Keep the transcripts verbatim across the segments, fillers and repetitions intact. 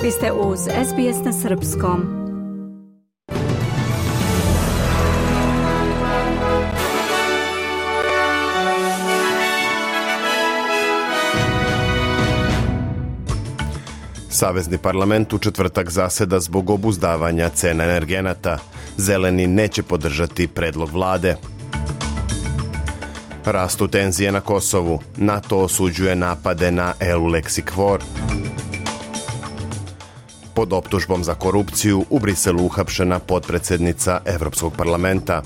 Vi ste uz S B S na srpskom. Savezni parlament u četvrtak zaseda zbog obuzdavanja cena energenata. Zeleni neće podržati predlog vlade. Rastu tenzije na Kosovu. NATO osuđuje napade na Eulexi Kvor. Pod optužbom za korupciju u Briselu uhapšena potpredsjednica Evropskog parlamenta.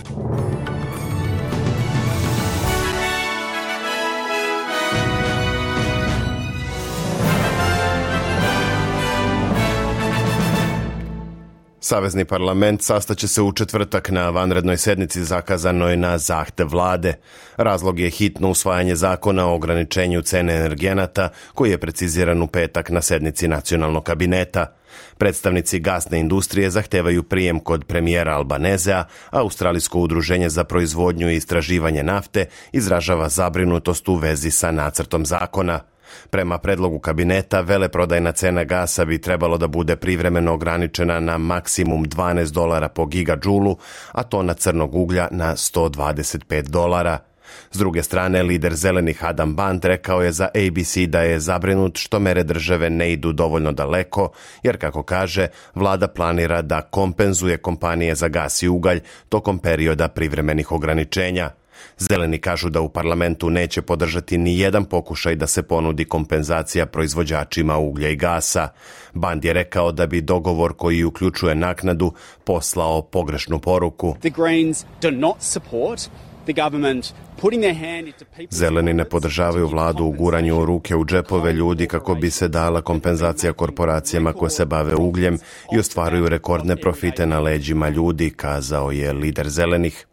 Savezni parlament sastaće se u četvrtak na vanrednoj sednici zakazanoj na zahtev vlade. Razlog je hitno usvajanje zakona o ograničenju cene energenata koji je preciziran u petak na sednici nacionalnog kabineta. Predstavnici gasne industrije zahtevaju prijem kod premijera Albanezea, a Australijsko udruženje za proizvodnju i istraživanje nafte izražava zabrinutost u vezi sa nacrtom zakona. Prema predlogu kabineta, veleprodajna cena gasa bi trebalo da bude privremeno ograničena na maksimum dvanaest dolara po gigadžulu, a tona crnog uglja na sto dvadeset pet dolara. S druge strane, lider zelenih Adam Band rekao je za A B C da je zabrinut što mere države ne idu dovoljno daleko, jer, kako kaže, vlada planira da kompenzuje kompanije za gas i ugalj tokom perioda privremenih ograničenja. Zeleni kažu da u parlamentu neće podržati ni jedan pokušaj da se ponudi kompenzacija proizvođačima uglja i gasa. Band je rekao da bi dogovor koji uključuje naknadu poslao pogrešnu poruku. The Greens do not support the government putting their hand into people's... Zeleni ne podržavaju vladu u guranju ruke u džepove ljudi kako bi se dala kompenzacija korporacijama koje se bave ugljem i ostvaruju rekordne profite na leđima ljudi, kazao je lider zelenih.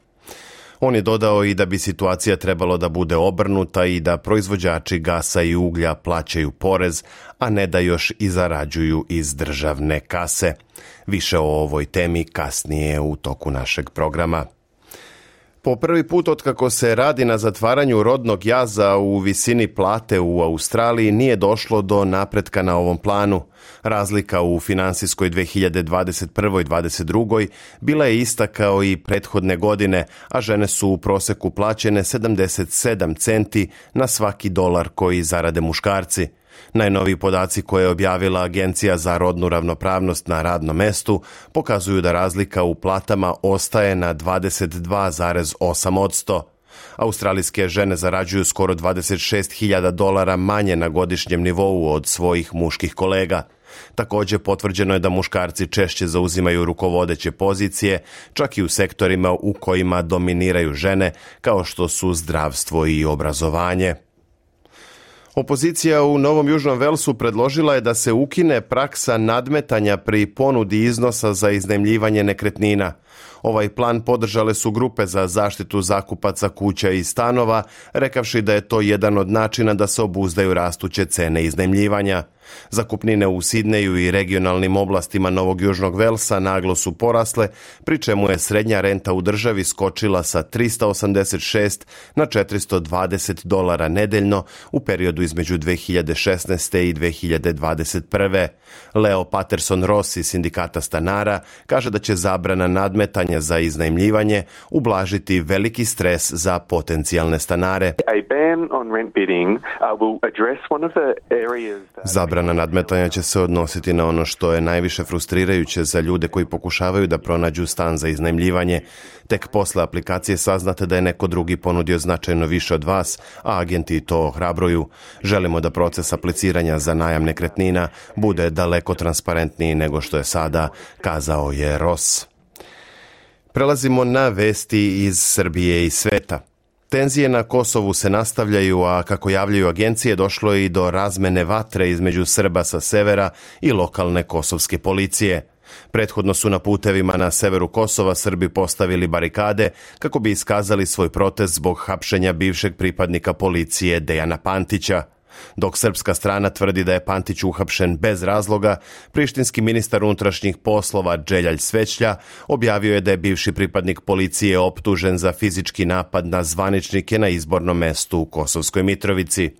On je dodao i da bi situacija trebalo da bude obrnuta i da proizvođači gasa i uglja plaćaju porez, a ne da još i zarađuju iz državne kase. Više o ovoj temi kasnije u toku našeg programa. Po prvi put otkako se radi na zatvaranju rodnog jaza u visini plate u Australiji nije došlo do napretka na ovom planu. Razlika u finansijskoj dve hiljade dvadeset prve. i dvadeset druge. bila je ista kao i prethodne godine, a žene su u proseku plaćene sedamdeset sedam centi na svaki dolar koji zarade muškarci. Najnoviji podaci koje je objavila Agencija za rodnu ravnopravnost na radnom mestu pokazuju da razlika u platama ostaje na dvadeset dva zarez osam posto. Australijske žene zarađuju skoro dvadeset šest hiljada dolara manje na godišnjem nivou od svojih muških kolega. Također potvrđeno je da muškarci češće zauzimaju rukovodeće pozicije, čak i u sektorima u kojima dominiraju žene, kao što su zdravstvo i obrazovanje. Opozicija u Novom Južnom Velsu predložila je da se ukine praksa nadmetanja pri ponudi iznosa za iznajmljivanje nekretnina. Ovaj plan podržale su grupe za zaštitu zakupaca kuća i stanova, rekavši da je to jedan od načina da se obuzdaju rastuće cene iznajmljivanja. Zakupnine u Sidneju i regionalnim oblastima Novog Južnog Velsa naglo su porasle, pri čemu je srednja renta u državi skočila sa trista osamdeset šest na četiristo dvadeset dolara nedeljno u periodu između dve hiljade šesnaeste. i dve hiljade dvadeset prve. Leo Patterson Ross iz sindikata stanara kaže da će zabrana nadmetanja za iznajmljivanje ublažiti veliki stres za potencijalne stanare. Zabrana nadmetanja će se odnositi na ono što je najviše frustrirajuće za ljude koji pokušavaju da pronađu stan za iznajmljivanje. Tek posle aplikacije saznate da je neko drugi ponudio značajno više od vas, a agenti to ohrabruju. Želimo da proces apliciranja za najam nekretnina bude daleko transparentniji nego što je sada, kazao je Ross. Prelazimo na vesti iz Srbije i sveta. Tenzije na Kosovu se nastavljaju, a kako javljaju agencije, došlo je i do razmene vatre između Srba sa severa i lokalne kosovske policije. Prethodno su na putevima na severu Kosova Srbi postavili barikade kako bi iskazali svoj protest zbog hapšenja bivšeg pripadnika policije Dejana Pantića. Dok srpska strana tvrdi da je Pantić uhapšen bez razloga, prištinski ministar unutrašnjih poslova Dželjal Svećlja objavio je da je bivši pripadnik policije optužen za fizički napad na zvaničnike na izbornom mestu u Kosovskoj Mitrovici.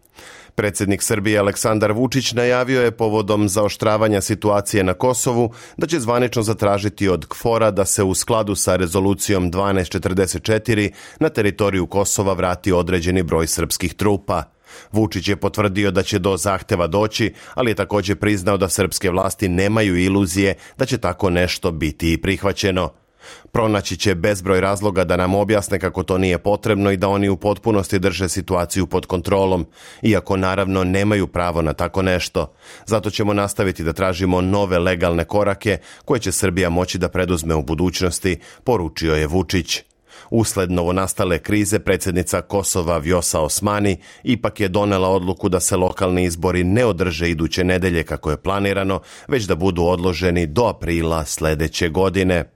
Predsjednik Srbije Aleksandar Vučić najavio je povodom zaoštravanja situacije na Kosovu da će zvanično zatražiti od K F O R-a da se u skladu sa rezolucijom dvanaest četrdeset četiri na teritoriju Kosova vrati određeni broj srpskih trupa. Vučić je potvrdio da će do zahteva doći, ali je također priznao da srpske vlasti nemaju iluzije da će tako nešto biti i prihvaćeno. Pronaći će bezbroj razloga da nam objasne kako to nije potrebno i da oni u potpunosti drže situaciju pod kontrolom, iako naravno nemaju pravo na tako nešto. Zato ćemo nastaviti da tražimo nove legalne korake koje će Srbija moći da preduzme u budućnosti, poručio je Vučić. Usled novonastale krize predsjednica Kosova Vjosa Osmani ipak je donela odluku da se lokalni izbori ne održe iduće nedelje kako je planirano, već da budu odloženi do aprila sljedeće godine.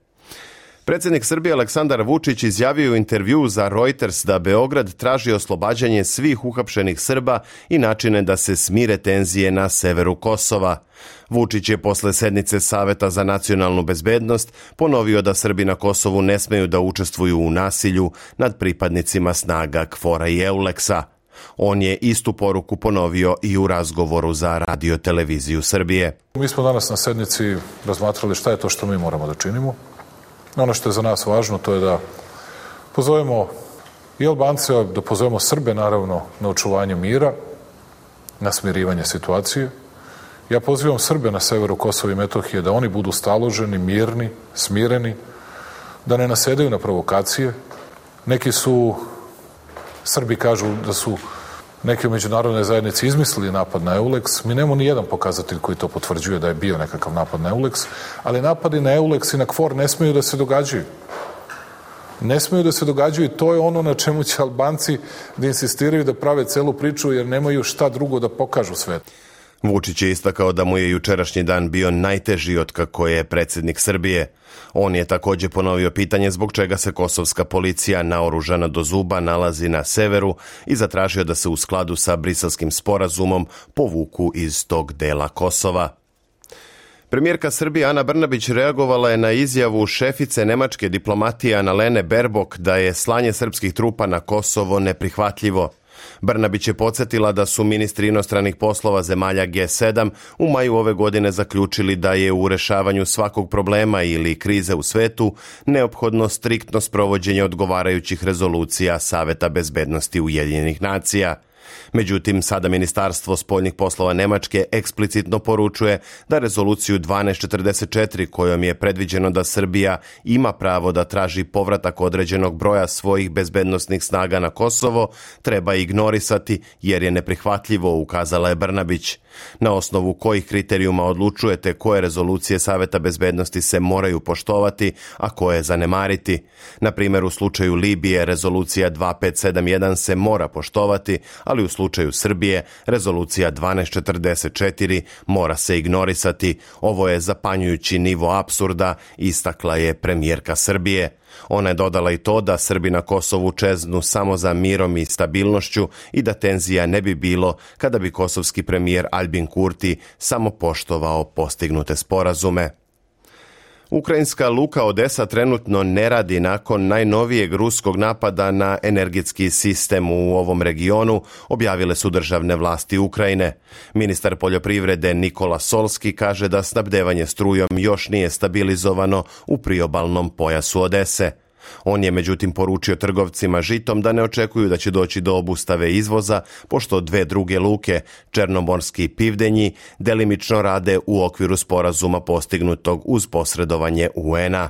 Predsjednik Srbije Aleksandar Vučić izjavio u intervjuu za Reuters da Beograd traži oslobađanje svih uhapšenih Srba i načine da se smire tenzije na severu Kosova. Vučić je posle sednice Saveta za nacionalnu bezbednost ponovio da Srbi na Kosovu ne smeju da učestvuju u nasilju nad pripadnicima snaga K F O R-a i Euleksa. On je istu poruku ponovio i u razgovoru za Radio televiziju Srbije. Mi smo danas na sednici razmatrali šta je to što mi moramo da činimo. Ono što je za nas važno, to je da pozovemo i Albance, da pozovemo Srbe, naravno, na očuvanje mira, na smirivanje situacije. Ja pozivam Srbe na severu Kosova i Metohije da oni budu staloženi, mirni, smireni, da ne nasedaju na provokacije. Neki su, Srbi kažu da su neke međunarodne zajednice izmislili napad na Euleks. Mi nemamo ni jedan pokazatelj koji to potvrđuje da je bio nekakav napad na Euleks, ali napadi na Euleks i na K F O R ne smeju da se događaju. Ne smeju da se događaju i to je ono na čemu će Albanci da insistiraju da prave celu priču jer nemaju šta drugo da pokažu svetu. Vučić je istakao da mu je jučerašnji dan bio najteži otkako je predsjednik Srbije. On je također ponovio pitanje zbog čega se kosovska policija naoružana do zuba nalazi na severu i zatražio da se u skladu sa Briselskim sporazumom povuku iz tog dela Kosova. Premijerka Srbije Ana Brnabić reagovala je na izjavu šefice nemačke diplomatije Annalene Baerbock da je slanje srpskih trupa na Kosovo neprihvatljivo. Brnabić je podsjetila da su ministri inostranih poslova zemalja G sedam u maju ove godine zaključili da je u rešavanju svakog problema ili krize u svetu neophodno striktno sprovođenje odgovarajućih rezolucija Saveta bezbednosti Ujedinjenih nacija. Međutim, sada Ministarstvo spoljnih poslova Nemačke eksplicitno poručuje da rezoluciju dvanaest četrdeset četiri kojom je predviđeno da Srbija ima pravo da traži povratak određenog broja svojih bezbednosnih snaga na Kosovo treba ignorisati jer je neprihvatljivo, ukazala je Brnabić. Na osnovu kojih kriterijuma odlučujete koje rezolucije Saveta bezbednosti se moraju poštovati, a koje zanemariti? Na primjer, u slučaju Libije rezolucija dvanaest pet sedam jedan se mora poštovati, ali u slučaju Srbije rezolucija dvanaest četrdeset četiri mora se ignorisati. Ovo je zapanjujući nivo apsurda, istakla je premijerka Srbije. Ona je dodala i to da Srbi na Kosovu čeznu samo za mirom i stabilnošću i da tenzija ne bi bilo kada bi kosovski premijer Albin Kurti samo poštovao postignute sporazume. Ukrajinska luka Odesa trenutno ne radi nakon najnovijeg ruskog napada na energetski sistem u ovom regionu, objavile su državne vlasti Ukrajine. Ministar poljoprivrede Nikola Solski kaže da snabdevanje strujom još nije stabilizovano u priobalnom pojasu Odese. On je međutim poručio trgovcima žitom da ne očekuju da će doći do obustave izvoza, pošto dve druge luke, Černomorski i Pivdenji, delimično rade u okviru sporazuma postignutog uz posredovanje U N-a.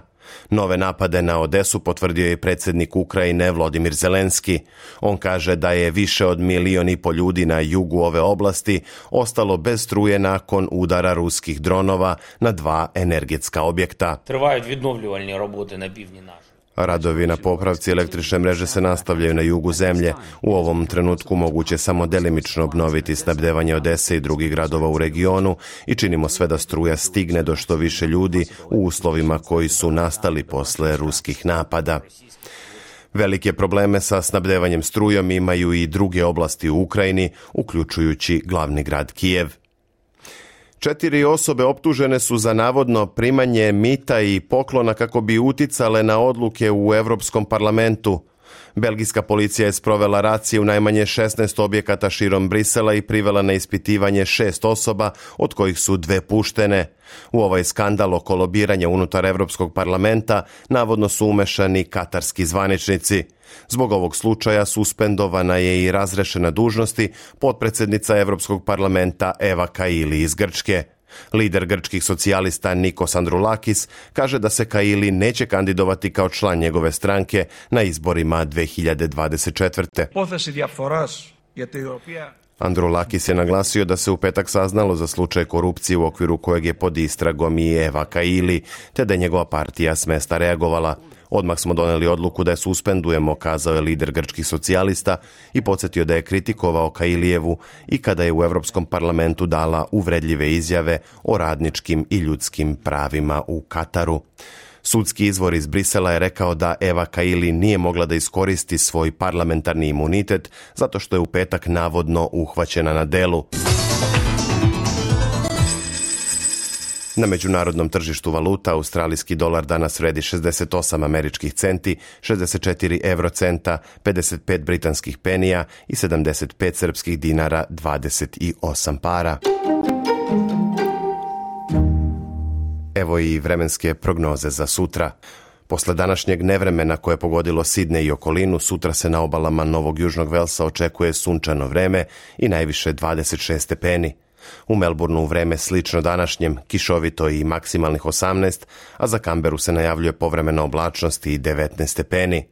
Nove napade na Odesu potvrdio je predsjednik Ukrajine Volodymyr Zelenski. On kaže da je više od milion i po ljudi na jugu ove oblasti ostalo bez struje nakon udara ruskih dronova na dva energetska objekta. Tривають відновлювальні роботи на півдні нашої. Radovi na popravci električne mreže se nastavljaju na jugu zemlje. U ovom trenutku moguće samo delimično obnoviti snabdevanje Odese i drugih gradova u regionu i činimo sve da struja stigne do što više ljudi u uslovima koji su nastali posle ruskih napada. Velike probleme sa snabdevanjem strujom imaju i druge oblasti u Ukrajini, uključujući glavni grad Kijev. Četiri osobe optužene su za navodno primanje mita i poklona kako bi uticale na odluke u Europskom parlamentu. Belgijska policija je sprovela racije u najmanje šesnaest objekata širom Brisela i privela na ispitivanje šest osoba, od kojih su dve puštene. U ovaj skandal oko lobiranja unutar Evropskog parlamenta navodno su umešani katarski zvaničnici. Zbog ovog slučaja suspendovana je i razrešena dužnosti potpredsjednica Evropskog parlamenta Eva Kaili iz Grčke. Lider grčkih socijalista Nikos Androulakis kaže da se Kaili neće kandidovati kao član njegove stranke na izborima dve hiljade dvadeset četvrte. Androulakis je naglasio da se u petak saznalo za slučaj korupcije u okviru kojeg je pod istragom i Eva Kaili, te da je njegova partija s mesta reagovala. Odmah smo doneli odluku da je suspendujemo, kazao je lider grčkih socijalista i podsjetio da je kritikovao Kailijevu i kada je u Europskom parlamentu dala uvredljive izjave o radničkim i ljudskim pravima u Kataru. Sudski izvor iz Brisela je rekao da Eva Kaili nije mogla da iskoristi svoj parlamentarni imunitet zato što je u petak navodno uhvaćena na delu. Na međunarodnom tržištu valuta australijski dolar danas vredi šezdeset osam američkih centi, šezdeset četiri eurocenta, pedeset pet britanskih penija i sedamdeset pet srpskih dinara dvadeset osam para. Evo i vremenske prognoze za sutra. Posle današnjeg nevremena koje je pogodilo Sidnej i okolinu, sutra se na obalama Novog Južnog Velsa očekuje sunčano vreme i najviše dvadeset šest stepeni. U Melbourneu vreme slično današnjem, kišovito i maksimalnih osamnaest, a za Kamberu se najavljuje povremena oblačnost i devetnaest stepeni.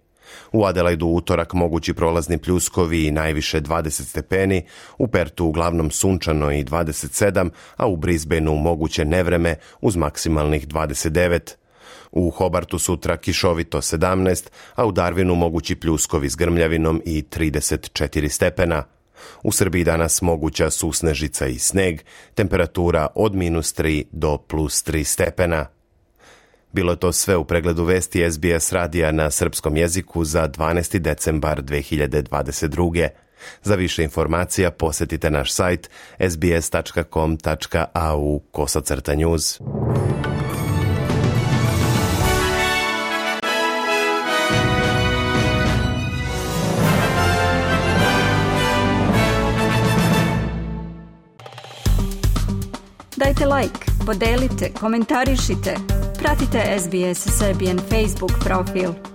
U Adelaidu utorak mogući prolazni pljuskovi i najviše dvadeset stepeni, u Pertu uglavnom sunčano i dvadeset sedam, a u Brisbaneu moguće nevreme uz maksimalnih dvadeset devet. U Hobartu sutra kišovito sedamnaest, a u Darwinu mogući pljuskovi s grmljavinom i trideset četiri stepena. U Srbiji danas moguća susnežica i sneg, temperatura od minus tri do plus tri stepena. Bilo je to sve u pregledu vesti S B S radija na srpskom jeziku za dvanaesti decembar dve hiljade dvadeset druge. Za više informacija posjetite naš sajt s b s tačka com tačka a u kosacrta news. Dajte like, podelite, komentarišite. Pratite S B S Serbian Facebook profil.